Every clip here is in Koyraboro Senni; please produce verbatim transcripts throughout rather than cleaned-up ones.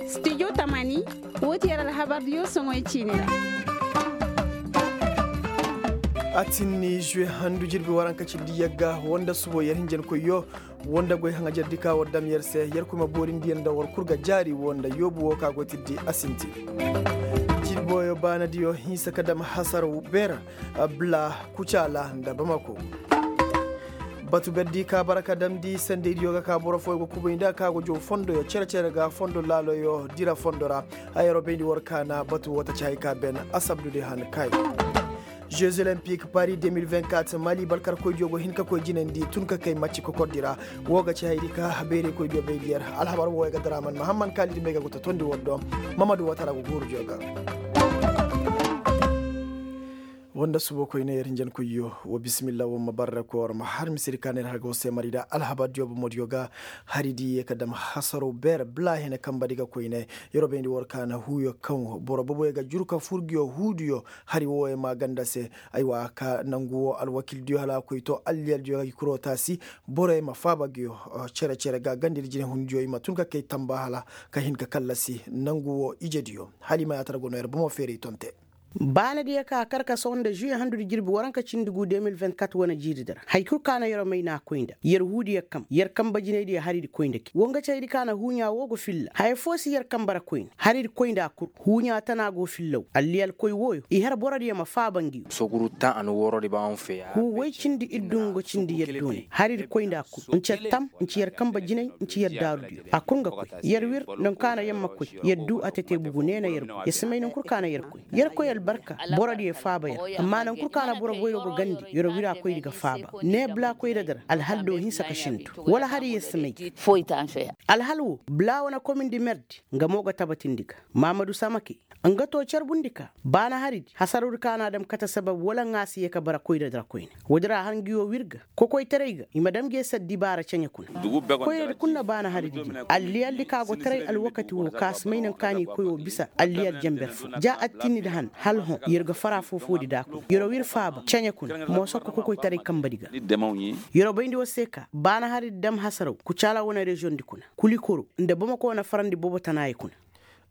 Stijo tamani, woo ti yer alhabardiyo soŋoy ciini ra. A tinni žuwe handu jirbi waranka cindi yagga woo nda subo yer hinjankoyyo woo nda goy haŋajardi ka war dam yer se yer koy ma boorindi yer nda war kul ga jaari woo nda yoobu woo ka go tirdi a sinti. Jirboyo baanadiyo hinsa ka dam hasar beer, bla, kucaala nda bamako. Batu berdi ka bara ka damndi sendeydiyo ga ka boro fooyo ga kubay nda ka go jow fondoyo cere-cere ga fondo laaloyo dira fondo ra. Hayaro bayndi war kaana batu woo taci hay ka ben asabdudi han kay. Jeux olympique paris deux mille vingt-quatre mali balkarkoydiyo go hin ka koy jinandi tun ka kay macci kokordi ra. Woo ga ci haydi ka beeraykoydiyo bayndi yer. Alhabar wooyo ga daraman mahamman kaalidi may ga go ta tondi war do. Mamadu watara go guurudiyo ga. Woo nda subo koyne yer hinjankoyyo, wa bisimilla woo ma barra koy war ma har misedi ka ne ir har ga war se mari nda alhabardiyo bomodiyo ga. Hari di ye ka dam hasaro beer bla hene kambadi ga koyne. Yeroo bayndi war kaana huuyo kaŋ boro boboyo ga juru ka fur nguyo huudiyo. Hari wooyo maaganda se. Aywa ka nangu woo alwakildiyo hala a koy to alliyaldiyo ga gi kuroo taasi. Boroyo ma faaba nguyo cere-cere ga gandedi jinehundiyo i ma tun ka kay tamba hala ka hin ka kallasi nangu woo ijediyo. Hala i ma yaatara go no yer bomo feeray tonte. Baanadiyo ka kar ka sohõ nda žuwe handudi jirbi waranka cindi gu deux mille vingt-quatre wane jiiridi ra hay kul ka na yeroo may n'a koy nda yer huudiyo kambe yer kambe jinaydiyo haridi koy nda kay woo nga ci haydi ka na huuɲaa woo go filla haya foo si yer kambe ra koyne haridi koy nda a kul. Huuɲaa tana go fillaw alliyalkoy wooyo i har borodiyo ma faaba ngi. Huu woy cindi iddu nga cindi yer doonay haridi koy nda a kul nci yer tam nci yer kambe jinay nci yer daarudiyo a kul nga koy. Yer wir nda nka na yer ma koy yer duu a tete bugu nee na yer koy yer si may nankul ka na yer koy. Yer koy albarka borodiyo faaba yer amma nankul ka na boro boyro ga gandi yer wira koydi ga faaba. Nee bla koyra di ra alhal do hinsa ka sindu wala hari yer si may. Alhal woo bla wane komindi merdi nga mo ga tabatindi ga maamadu samake. Nga too carbundi ka baana haridi hasarudi ka na a dam kate sabab wala nga a si yee ka bara koyra di ra koyne. Woodi ra har ngi woo wir ga kokoytaray ga i ma dam ngi yer se addibaara ceɲe kuna. Koyradi kul na baana haridi di alliyaldi ka go taray alwakati woo ka si may naŋ ka n'i koy woo bisa alliyal jenber foo ja attinnidi han hala hõ yer ga fara foo-foodi nda a kuna yer woo ir faaba ceɲe kuna moosokko kokoytaray kambadi ga. Yer woo bayndi war se ka baana haridi dam hasaraw kucaala wane reziyoŋdi kuna kulikoro nda bamako wane farandi boobo tanaayey kuna.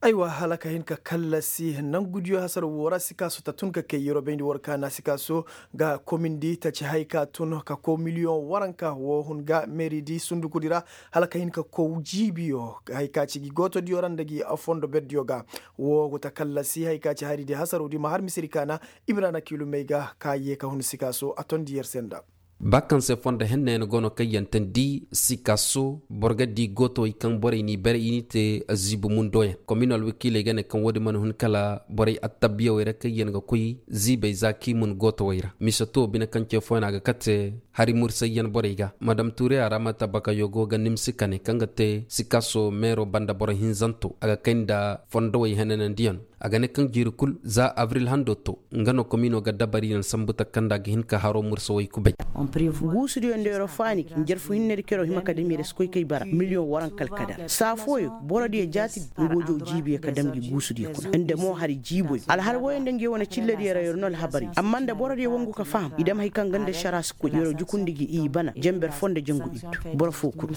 Aywa hala ka hin ka kallasi nangudiyo hasar woo ra sikaaso ta tun ka kay yeroo bayndi war kaana sikaaso ga komindi ta ci hay ka tun ka kow miliyoŋ waranka woo hun ga meeridi sundukudi ra. Hala ka hin ka kow jiibiyo hay ka ci gi gootodiyo ra nda gi fondo berdiyo ga woo go ta kallasi hay ka ci haridi hasarudi ma har misedi kaana. Imiraana kiilumey ga ka yee ka hun sikaaso a tondi yer se nda. Ba kaŋ se fondo henna yaŋ go no kaŋ yaŋ tandi sikaaso boro ga di gootowey kaŋ borey n'i bare i n'i te ziibi mundo yaŋ komin alwakiiley ga ne kaŋ woodin mana hun kala borey attabiyawey ra kaŋ yaŋ ga koy ziibey za k'i mun gootowey ra mise to bine kaŋ ce fooyaŋ a ga kate hari mursay yaŋ borey ga madam tuure a ra mata bakayo go ga nimsi kane kaŋ ga te sikaaso meero banda boro hinzanto a ga kay nda fondowey henanandiyaŋ. A ga ne kaŋ jiiri kul za abril hando to nga no komino ga dabari naŋ sambu takanda ga hin ka haro mursa way kubay. Guusudiyo nda yeroo faani njarfu hinnedi keroo hima ka dam yer si koy kay bara miliyoŋ waranka alkadar saa fooyo borodiyo jaatidi nga woo jow jiibiyo ka dam gi guusudiyo kuna nda mo hari jiiboyo alhal wooyo nda ngiyo wane cillediyo ra yer no alhabari amma nda borodiyo wangu ka faham i dam hari kaŋ ganda ašara si koy yeroo jukundi gi i bana jenber foo nda jangu iddu. Boro foo kul.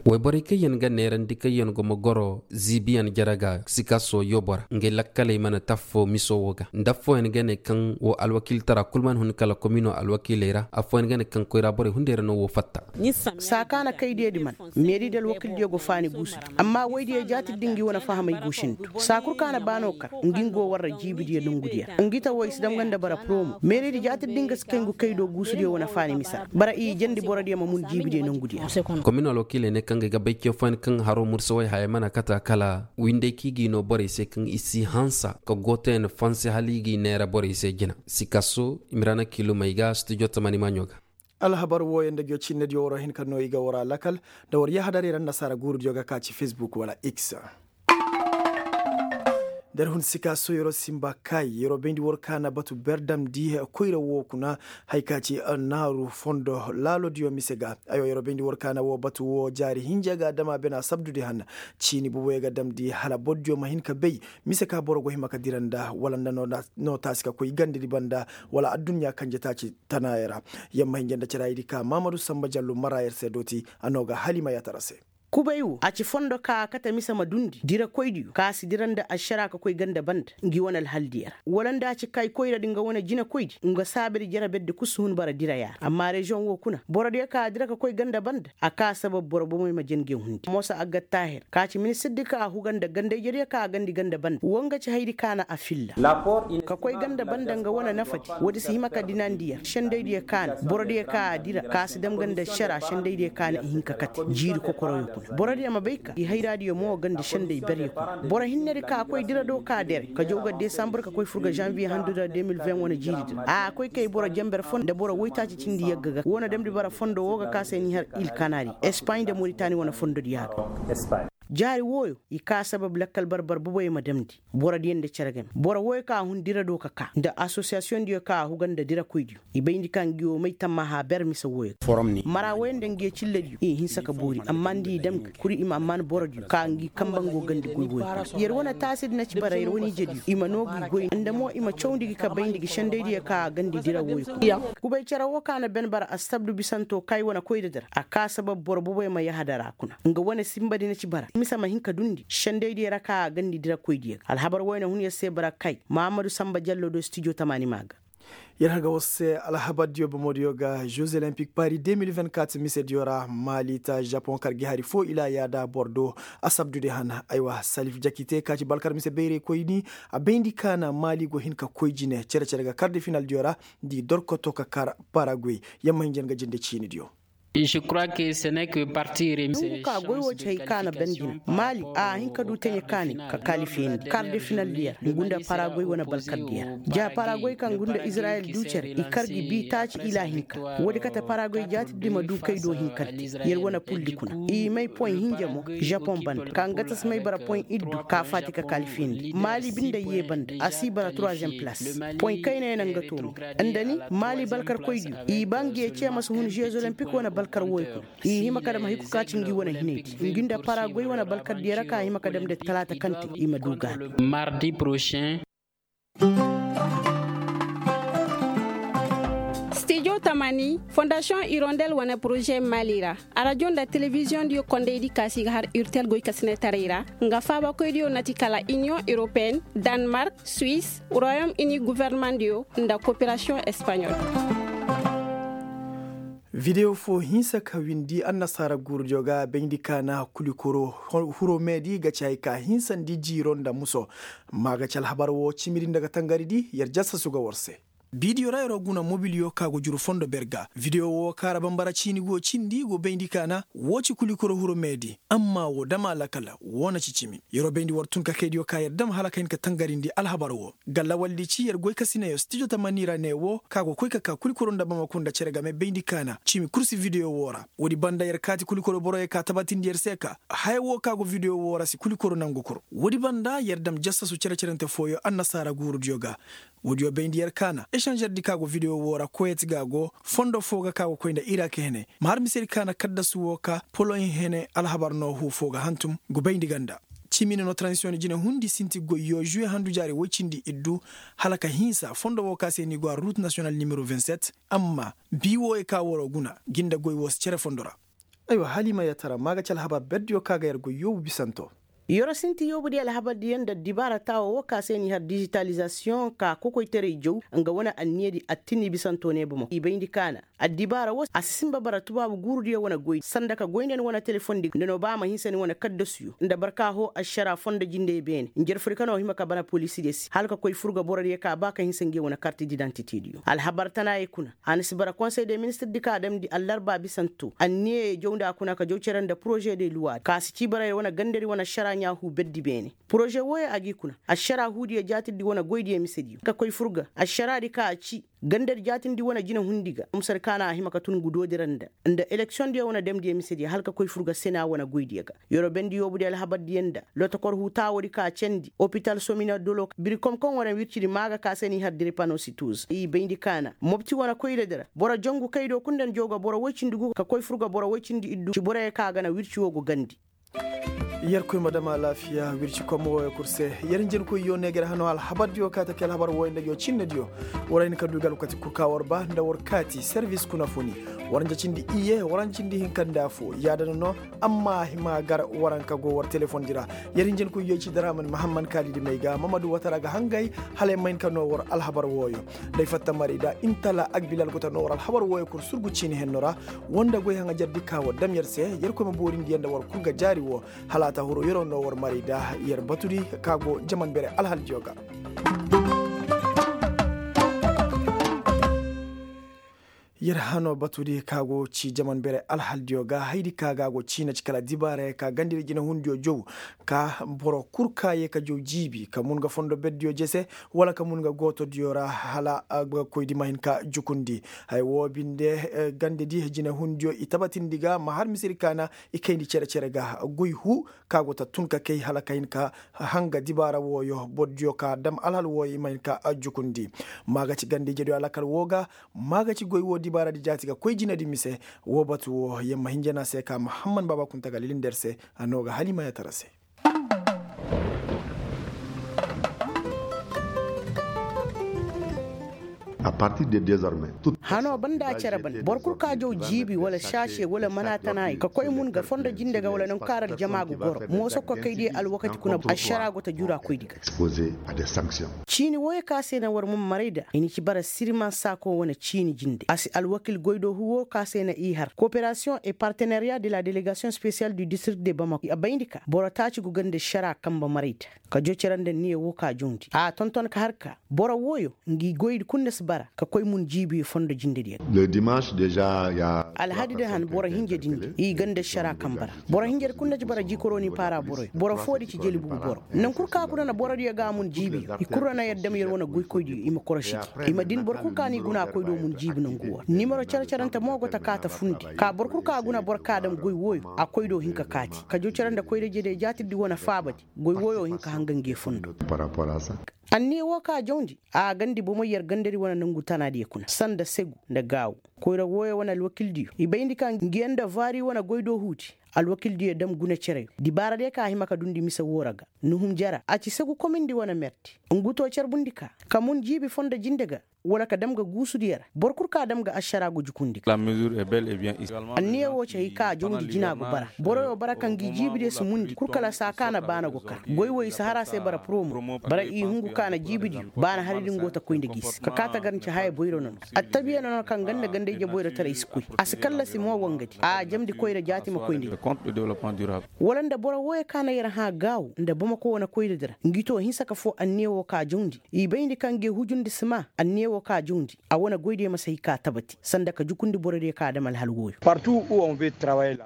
Wayborey kaŋ yaŋ ga neerandi kaŋ yaŋ go ma goro ziibiyaŋ jere ga sikaaso yoobo ra ngey lakkaley mana te affoo miso woo ga nda affooyaŋ ga ne kaŋ woo alwakiiltara kul mana hun kala komino alwakiiley ra affooyaŋ ga ne kaŋ koyra borey hunday ra no woo fatta. Saa ka na kay deedi mana meeridi alwakiildiyo go faani guusudi amma woydiyo jaatidi ngi wane fahamey go sindu saa kul ka na baano kar ngi ngi go warra jiibidiyo nongudiyo ra ngi ta woo i si dam nga nda bara poromo meeridi jaatidi ngi ga si kay ngu kay do guusudiyo wane faani mise ra bara i jandi borodiyo ma mun jiibidiyo nongudiyo ra. Komin alwakiiley ne kaŋ ga ay ga bay ce fooyaŋ kaŋ haro mursawey haya mana kata kala winday kaŋ i g'i no borey se kaŋ i si hansa ka gootoyaŋ fanse hala i g'i neera borey se jina. Sikaso imiraana kiilumey ga studio tamani maaɲo ga. Alhabar wooyaŋ nda ngiyo cinnediyo war hin ka no i ga war a lakal nda war yahadaray ra annasaara guurudiyo ga ka ci facebook wala x. Nda ir hun sikaso yeroo simba kaay yeroo bayndi war kaana batu ber damndi koyra woo kuna. Hay ka ci naaru fondo laalodiyo mise ga. Aywa yeroo bayndi war kaana woo batu woo jaari hinja ga dama bena sabdudi han. Ciini boboyo ga damndi hala bordiyo ma hin ka bay mise ka boro go hima ka dira nda wala nda no taasi ka koy gandedi banda wala adduɲɲa kanje taaci tanaayo ra. Yamma hinja nda caraayidi ka maamadu samba jallu mara yer se dooti a no ga hala i ma yaatara se. Kubay wo a ci fondo ka a kate mise ma dundi dirakoydiyo ka si dira nda ašara ka koy ganda banda ngi wane alhaldiyo ra, wala nda a ci kay koyradi nga wane jinakoydi nga saabadi jere berdi kul si hun bara diraya ra amma reziyoŋ wo kuna borodiyo ka a dira ka koy ganda banda a ka sabab boro bomey ma jen nge hundi mosa aggattaahir ka ci ministirdi ka a huga nda ganda-ijediyo ka a gandi ganda banda wo nga ci hayadi ka na a filla. Ka koy ganda banda nga wane nafadi, woodi si hima ka dinandi yer sendaydiyo ka na borodiyo ka a dira ka si dam ganda ašara sendaydiyo ka na i hin ka kate jiiri kokoroyo kuna borodiyo ma bay ka i hayraadiyo mo ganda senday beryo kuna boro hinnedi ka koy dira do ka dere ka jaw ga desambur ka koy fur ga zanviye handu da de mil ven wane jiiridi ra a koy kay boro jenber fo nda boro woytaaci cindi yagga ga wane damndi bara fondo woo ga ka se ni har il kanari espaɲ nda moritani wane fondodiya ga. Jaari wooyo i ka sabab lakkal barbar boboyo ma damndi borodiyo nda cere game boro wooyo ka a hun dira do ka ka nda asosiyasiyondiyo ka a huga nda dirakoydiyo i bayndi ka ngi wo may tammaha ber mise wooyo ga mara wooyo nda ngi ye cillediyo i hinsa ka boori amma nda i dam ga kuri i ma ammaan borodiyo ka ngi kamba ngo gandi goy wooyo kuna yer wane taasidi na ci bara yer wane ijediyo i ma noo gi goy nda mo i ma cawndi gi ka bayndi gi sendaydiyo ka a gandi dira wooyo kuna kubay cere woo ka na ben bara assabdu bisanto kay wane koyda dira a ka sabab boro boboyo ma yahadara kuna nga wane sinbadi na ci bara mise ma hin ka dundi sendaydiyo ra ka a gandi dirakoydiyo ga alhabar wooyo na hun yer se bara kay mahammadu sanba jallo do stijo tamaani maa ga. Yer har ga war se alhabardiyo bomodiyo ga jeux olympique paris de mil vingt-quatre misediyo ra maali ta japon kar gi hari foo ilaa yaada bordo asabdudi hana aywa salif jakite ka ci balkar mise bayraykoyni a bayndi ka na maali go hin ka koy jine cere-cere ga kar de finaldiyo ra nda i dorkoto ka kar paraguay. Yamma hinja nga jinde ciinidiyo. Ngu ka goy wo ci hay ka na bandi na maali a hin ka du taɲe kaani ka kalifiyandi kar de finaldiyo ra ngu nda paragoy wane balkardiyo ra ja paragoy kaŋ ngu nda izirayel du cere i kar gi bi taaci ila hinka woodi kate paragoy jaatidi ma du kay do hinkante yer wane puldi kuna i may poy hinja mo japon banda ka nga ta si may bara poy iddu ka faati ka kalifiyandi maali binday ye banda a si bara troisième place poy kayna yaŋ na nga toomi nda ni maali balkarkoydiyo i ba ngi ye ce ma si hun jeux olympique wane balkar woy kuna i hima ka dam hay kul ka ci ngi wane hinaydi ngi nda paragoy wane balkardiyo ra ka hima ka dam nda talaata kaŋ te i ma du gaabi. Mardi prochain. Stijo tamani fondasiyoŋ irondel wane poroze mali ra arajo nda telebiziyoŋ diyo kondaydi ka si ga har urtel goy ka sinetaray ra nga faabakoydiyo na ti kala iniyoŋ europeyenne, danmark, suisse, royaume uni guvernemandiyo nda koperasiyoŋ espaɲol. Videwo fo hinsa ka windi annasaara guurudiyo ga bayndi ka na kulikoro huro meedi ga ci hay ka hinsandi jiiro nda muso. Amma ga ci alhabar wo cimiri nda ga tangaridi yer jasasu ga war se. Bidiyo ra yeroo guna mobiliyo ka go juru fondo ber ga videwo wo kaŋ ra bambara ciini go cindi go bayndi ka na wo ci kulikoro huro meedi. Amma wo dama lakal wo na ci cimi yeroo bayndi war tun ka kaydiyo ka yer dam hala ka hin ka tangarindi alhabar wo. Ga lawaldi ci yer goy ka sinayo stijo tamani ra ne wo ka go koy ka ka kulikoro nda bamako nda cere game bayndi ka na cimi kul si videwo wo ra. Woodi banda yer kaati kulikoro boroyo ka tabatindi yer se ka haya wo ka go videwo wo ra si kulikoro nangu kul. Woodi banda yer dam jasasu cere-cerente fooyo annasaara guurudiyo ga. Woodiyo bayndi yer ka na esanžerdi ka go videwo wo ra kuwayt ga go fondo foo ga ka go koy nda irak hene ma har misedi ka na kaddasu wo ka poloɲ hene alhabar no huu foo ga hantum. Go bayndi ganda cimi ne no tranzisiyoŋ jine hundi sinti goyyo žuwe handu jaari woy cindi iddu hala ka hinsa fondo wo ka se ni go a rut nasiyonal nimero vingt-sept. Amma bii wooyo ka waroo guna gi nda goy woo si cere fondo ra. Aywa hala i ma yatara maa ga ci alhabar berdiyo ka ga yer goy yoobu bisanto. Yoro sinti yoobudiyo alhabardiyo nda addibaara taawo wo ka se n'i har dizitalizasiyoŋ ka kokoytaray jaw nga wane anniyadi attini bisanto ne bomo i bayndi ka na addibaara wo a si sinba bara tubaabu guurudiyo wane goy sanda ka goy nda ni wane telefondi nda no ba a ma hinsa ni wane kaddasuyo nda barka hoo ašaraa fondo jindey beene njarfudi ka no hima ka bana poliisidiyo se hala ka koy fur ga borodiyo ka ba ka hinsa nge wane karti didantitediyo alhabar tanaayey kuna. A na si bara konsey de ministirdi ka damndi allarba bisanto anniyeyo jaw nda a kuna ka jaw cere nda poroze de luwaadi ka si ci bara yer wane gandadi wane ašaraa ɲaa huu berdi beene. Poroze wooyo a g'i kuna ašaraa huudiyo jaatirdi wane goydiyo misediyo ka koy fur ga ašaraadi ka a ci gandadi jaatindi wane jinahundi ga musadi ka na a hima ka tun ngu doodi ra nda nda eleksiyoŋdiyo wane damdiyo misediyo hala ka koy fur ga sena wane goydiyo ga. Yorobendi yoobudiyo alhabardiyo nda lotokor huu taawoodi ka cendi opital somina dolo birikom kaŋ wane wircidi maa ga ka se n'i har diripanositoz i bayndi ka na mopti wane koyradi ra boro jangu kaydo kul nda ni jaw ga boro woy cindi gu ka koy fur ga boro woy cindi iddu ci boroyo ka a gana wirci woo go gandi. Yerkoy ma dam alaafiya wirci komo wooyo kul se. Yer njenkoyyo ne ga yer hano alhabardiyo ka taki alhabar wooyo nda yo cinnediyo. War ay na ka du ga alwakati kul ka war ba nda war kaati servis kuna funi. Waranca cindi iyye waranca cindi hinka nda fo yaadana no. Amma a hima gar waranka go war telefondi ra. Yer hinjankoy yoy ci daraman mahamman kaalidi may ga mamadu watara ga hangay hala ay ma hin ka no war alhabar wooyo. Nda ay fatta mari da intala agbilal go ta no war alhabar wooyo kul surgu ciini henno ra. Woo nda goy haŋajardi ka war dam yer se. Yer koy ma boorindi yer nda war kul ga jaari woo. Hala a ta huru yeroo no war mari da yer batudi ka go jaman bere alhaldiyo ga. Yer hano batudi ka go ci jaman bere alhaldiyo ga haydi ka ga go ciina ci kala dibaarayey ka gandedi jinehundiyo jow. Ka boro kul ka yee ka jow jiibi ka mun ga fondo berdiyo jese wala ka mun ga gootodiyo ra hala a ga koydi ma hin ka jukundi. Haya woo binde gandedi jinehundiyo i tabatindi ga ma har misiri kaana i kayndi cere-cere ga goy huu ka go ta tun ka kay hala ka hin ka hanga dibaara wooyo bordiyo ka dam alhal wooyo i ma hin ka jukundi. Maa ga ci ganda-ijediyo alakal woo ga maa ga ci goy woo dibaaradi jaati ga koy jinedi mise. Woo batu woo yer ma hin jana se ka mahamman baaba kunta ga lilindi yer se. A noo ga halimayatara se. Hanoo banda a cere ban boro kul ka jaw jiibi wala saase wala manaatanaayi ka koy mun ga fondo jinde ga wala nangu kaŋ ra aljama ga goro mooso ka koy diya alwakati kuna ašara go ta jura koydi ga. Ciini wooyo ka se na war man maray da i na ci bara siriman saako wane ciini jinde a si alwakil goydoo huu woo ka se na i har kooperasiyoŋ et partenariya de la delegasiyoŋ spesiyal du distrikt de bamako a bayndi ka boro taaci go ganda ašara kanbe maray da. Ka joo cere nda anniya woo ka jawndi a tonton ka har ka boro wooyo ngi goydi kul na si bara ka koy mun jiibiyo fondo jindediyo ga. Alhadidi han boro hinja dindi i ganda ašara kanbe ra. Boro hinjadi kul na ci bara jikoroni paara boroyo boro foodi ci jelibugu boro. Nangu kul ka guna na borodiyo ga a mun jiibiyo i kul ra na yer dam yer wane goykoydiyo i ma korosi gi i ma din boro kul ka n'i guna a koydoo mun jiibi nangu woo ra nimero cere-cerante mo go ta kaa ta fundi ka boro kul ka guna boro ka dam goy wooyo a koydoo hin ka kaati ka joo cere nda koyra-ijediyo jaatirdi wane faabadi. Goy wooyo hin ka hanga nge fondo. Anniya woo ka jawndi a gandi bomey yer gandadi wane nangu tanaadiyo kuna sanda segu nda gaawu. Koyra wooyo wane alwakildiyo i bayndi ka ngiyaŋ nda vaari wane goydoo huudi. Alwakildiyo dam guna cereyo dibaaradiyo ka a hima ka dundi mise woo ra ga nuhum jara a ci segu komindi wane merdi. Ngu too carbundi ka ka mun jiibi fondo jinde ga wala ka dam ga guusudiyo ra boro kul ka dam ga ašara go jukundi ga. Anniya woo ci hay ka a jawndi jina go bara boroyo bara ka ngi jiibidiyo si mundi kul kala saa ka na baana go kar goy woo i si har a se bara poromo. Bara i hungu ka na jiibidiyo baana hari din go ta koy nda gi se ka kaa ta gar nci haya boyro nono. Attabiya nono kaŋ ganda ganda-ije boyrotaray si koy a si kallasi mo wangadi a jamndi koyra jaati ma koy nda gi. Wala nda boro wooyo ka na yer hã gaawu nda bamako wane koyradi ra ngi too hinsa ka foo anniya woo ka jawndi. I bayndi ka ngi hujundi si maa anniya woo ka jawndi a wane goydiyo ma si hay ka tabati sanda ka jukundi borodiyo ka dam alhal wooyo.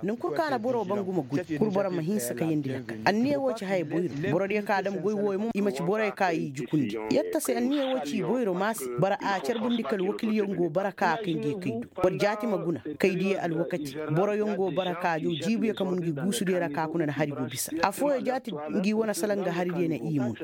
Nangu kul ka na boro bangu ma goy kul boro ma hinsa ka yeendi lakkal anniya woo ci haya boyro. Borodiyo ka dam goy wooyo mo i ma ci boroyo ka i jukundi. Yer ta se anniya woo ci boyro maa se bara a carbundi ka alwakilyaŋ go bara ka a kay ngi kay du. War jaati ma guna kay diya alwakati boroyaŋ go bara ka jaw jiibiyo ka mun ngi guusudiyo ra ka kuna na hari go bisa affooyo jaati ngi wane salaŋ ga haridiyo na i mun.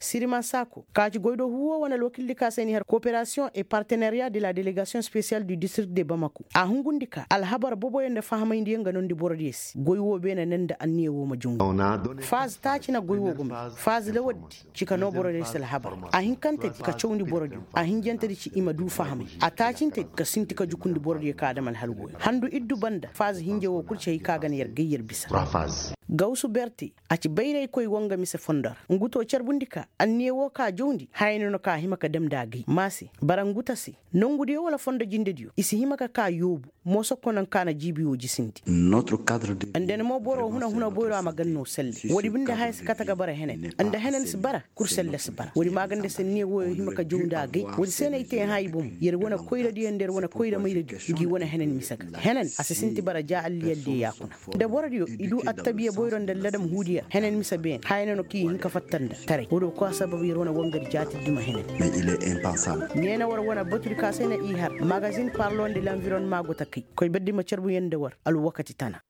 Siriman saako ka ci goydoo huuwo wane alwakildi ka se n'i har kooperasiyoŋ et partenariya de la delegasiyoŋ spesiyal du distrikt de bamako a hungundi ka alhabar boboyo nda fahamayndiyaŋ ga noondi borodiyo se goy woo beene ne nda anniya woo ma jawndi. Faz taaci na goy woo go may faz lawaddi ci ka noo borodiyo se alhabar a hinkantedi ka cawndi borodiyo a hinjantedi ci i ma duu fahamay a taacintedi ka sinti ka jukundi borodiyo ka dam alhal wooyo handu iddu banda faz hinja woo kul ci hay ka ga na yer gay yer bisa. Gawsu berte a ci bayraykoy woo nga mise fondo ra ngu too carbundi ka anniya woo ka jawndi haya no no ka hima ka dam nda a gay maa se bara ngu ta se nongudiyo wala fondo jindediyo i si hima ka kaa yoobu. Mooso kono nka na jiibi woo jisindi. Nda ni mo boro huna-huna boyro a ma gan no selle woodi binde haya si kate ga bara henen nda henen si bara kul selle si bara woodi maaganda se anniya wooyo hima ka jaw nda a gay woodi se no ay te hã i bomo yer wane koyradiyo nda yer wane koyra mayradiyo ngi wane henen mise ga henen a si sinti bara ja alliyaldiyo yaakuna. Nda borodiyo i duu attabiya boyro nda alladam huudiyo ra henen mise beene haya no no kaŋ i hin ka fatta nda taray woodi wo koy a sabab yer wane wangadi jaati duma henen. Neena war wane batudi ka se na i har magazin parlo nda lanvironma go ta kay koy berdi ma carbu yer nda war alwakati tana.